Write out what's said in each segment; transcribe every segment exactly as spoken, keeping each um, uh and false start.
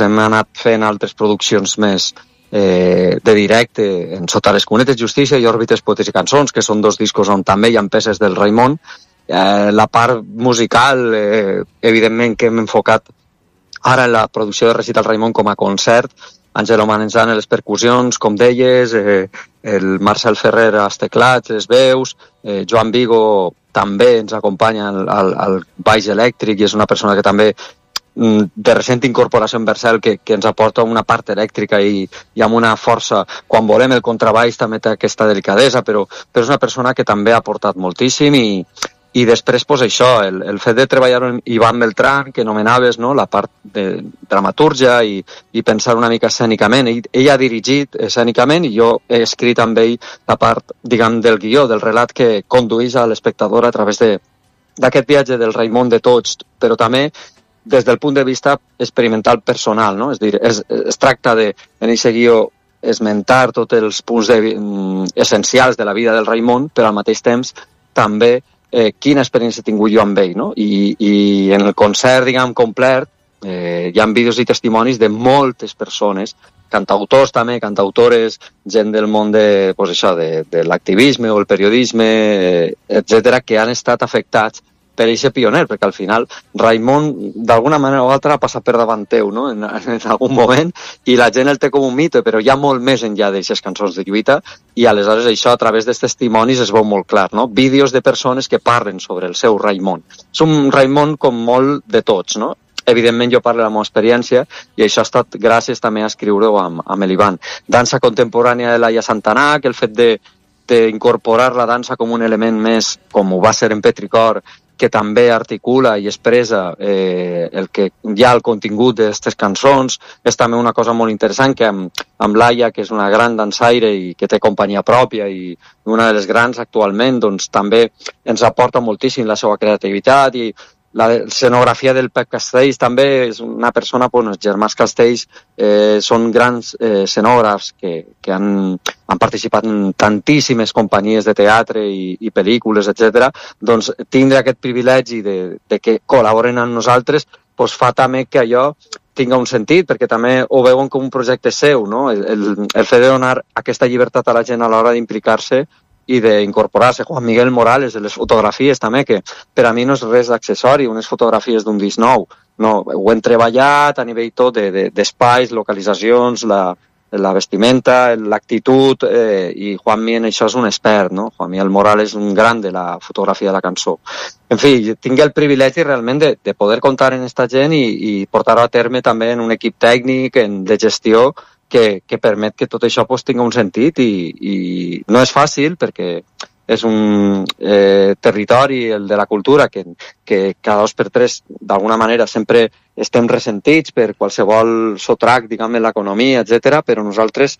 pues hem anat fent altres produccions més eh, de directe en Sota les cunetes, Justícia i Òrbites, poetes i cançons, que són dos discos on també hi ha peces del Raimon. Eh, la part musical, eh, evidentment que hem enfocat ara en la producció de Recital Raimon com a concert, Àngelo Manenzana a les percussions, com deies, eh, el Marcel Ferrer als teclats, les veus, eh, Joan Vigo també ens acompanya al, al, al baix elèctric i és una persona que també de recent incorporació en Vercel que, que ens aporta una part elèctrica i, i amb una força. Quan volem el contrabaix també té aquesta delicadesa, però, però és una persona que també ha aportat moltíssim i, i després pues, això, el, el fet de treballar amb Ivan Beltrán, que nomenaves, no? La part de dramatúrgia i, i pensar una mica escènicament. Ell, ell ha dirigit escènicament i jo he escrit amb ell la part, diguem, del guió, del relat que condueix a l'espectador a través de, d'aquest viatge del Raimon de tots, però també des del punt de vista experimental personal, no? És dir, es, es tracta de, en aquest guió, esmentar tots els punts de, mm, essencials de la vida del Raimon, però al mateix temps també eh, quina experiència he tingut jo amb ell, no? I, i en el concert, diguem, complet, eh, hi ha vídeos i testimonis de moltes persones, cantautors també, cantautores, gent del món de, pues això, de, de l'activisme o el periodisme, eh, etcètera, que han estat afectats per aquest pioner, perquè al final Raimon d'alguna manera o altra ha passat per davant teu, no? en, en algun moment, i la gent el té com un mite, però hi ha molt més enllà d'aquestes cançons de lluita, i aleshores això a través dels testimonis es veu molt clar, no? Vídeos de persones que parlen sobre el seu Raimon. És un Raimon com molt de tots, no? Evidentment jo parlo de la meva experiència i això ha estat gràcies també a escriure-ho amb, amb l'Ivan. Dansa contemporània de Laia Santanà, que el fet de d'incorporar la dansa com un element més, com ho va ser en Petricor, que també articula i expressa eh, el que hi ha al contingut d'aquestes cançons, és també una cosa molt interessant que amb, amb Laia, que és una gran dansaire i que té companyia pròpia i una de les grans actualment, doncs també ens aporta moltíssim la seva creativitat i la escenografia del Pep Castells també és una persona, doncs, els germans Castells eh, són grans eh, escenògrafs que, que han, han participat en tantíssimes companyies de teatre i, i pel·lícules, etcètera. Doncs tindre aquest privilegi de, de que col·laboren amb nosaltres doncs fa també que allò tinga un sentit, perquè també ho veuen com un projecte seu, no? El, el, el fet de donar aquesta llibertat a la gent a l'hora d'implicar-se i d'incorporar-se. Juan Miguel Morales, de les fotografies també, que per a mi no és res d'accessori, unes fotografies d'un disc nou. No, ho hem treballat a nivell tot de, de, d'espais, localitzacions, la, la vestimenta, l'actitud, eh, i Juan Miguel en això és un expert, no? Juan Miguel Morales és un gran de la fotografia de la cançó. En fi, tinc el privilegi realment de, de poder comptar en aquesta gent i, i portar-ho a terme també en un equip tècnic, en, de gestió, Que, que permet que tot això pues, tingui un sentit i, i no és fàcil perquè és un eh, territori, el de la cultura, que, que cada dos per tres d'alguna manera sempre estem ressentits per qualsevol sotrac, diguem, en l'economia, etcètera, però nosaltres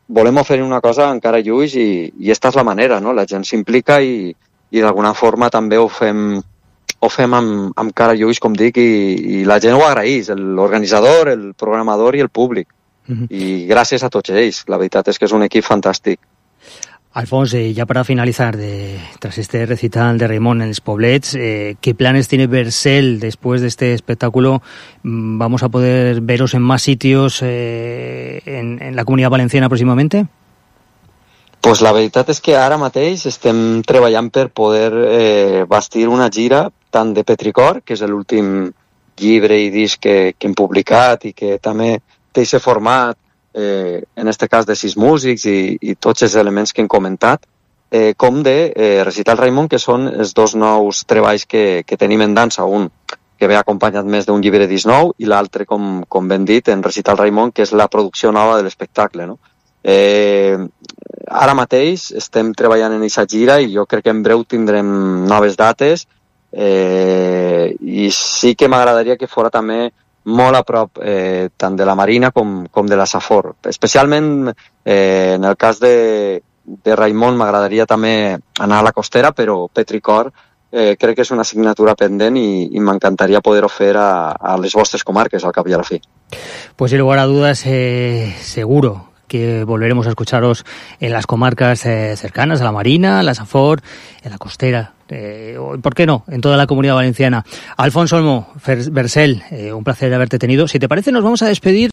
volem oferir una cosa encara lluix i, i esta és la manera, no? La gent s'implica i, i d'alguna forma també ho fem, ho fem amb, amb cara lluix, com dic, i, i la gent ho agraeix, l'organitzador, el programador i el públic. Y gracias a tots ells. La veritat és que és un equip fantàstic. Alfons, eh, ya para finalizar, de, tras este recital de Raimon en los Poblets, eh, ¿qué planes tiene Vercel después de este espectáculo? ¿Vamos a poder veros en más sitios eh, en, en la Comunitat Valenciana próximamente? Pues la veritat és que ara mateix estem treballant per poder eh, bastir una gira tant de Petricor, que és l'últim llibre i disc que, que hem publicat i que també té aquest format, eh, en aquest cas de sis músics i, i tots els elements que hem comentat, eh, com de eh, Recital Raimon, que són els dos nous treballs que, que tenim en dansa, un que ve acompanyat més d'un llibre disc nou i l'altre, com, com ben dit, en Recital Raimon, que és la producció nova de l'espectacle, no? Eh, ara mateix estem treballant en aquesta gira i jo crec que en breu tindrem noves dates, eh, i sí que m'agradaria que fora també molt a prop eh, tant de la Marina com, com de la Safor. Especialment eh, en el cas de, de Raimon m'agradaria també anar a la Costera, però Petricor eh, crec que és una assignatura pendent i, i m'encantaria poder-ho fer a, a les vostres comarques al cap i a la fi. Pues sin lugar a dudas, eh, seguro que volveremos a escucharos en las comarcas eh, cercanas, a la Marina, a la Safor, en la Costera, eh, ¿por qué no?, en toda la Comunidad Valenciana. Alfons Olmo, Vercel, eh, un placer haberte tenido. Si te parece, nos vamos a despedir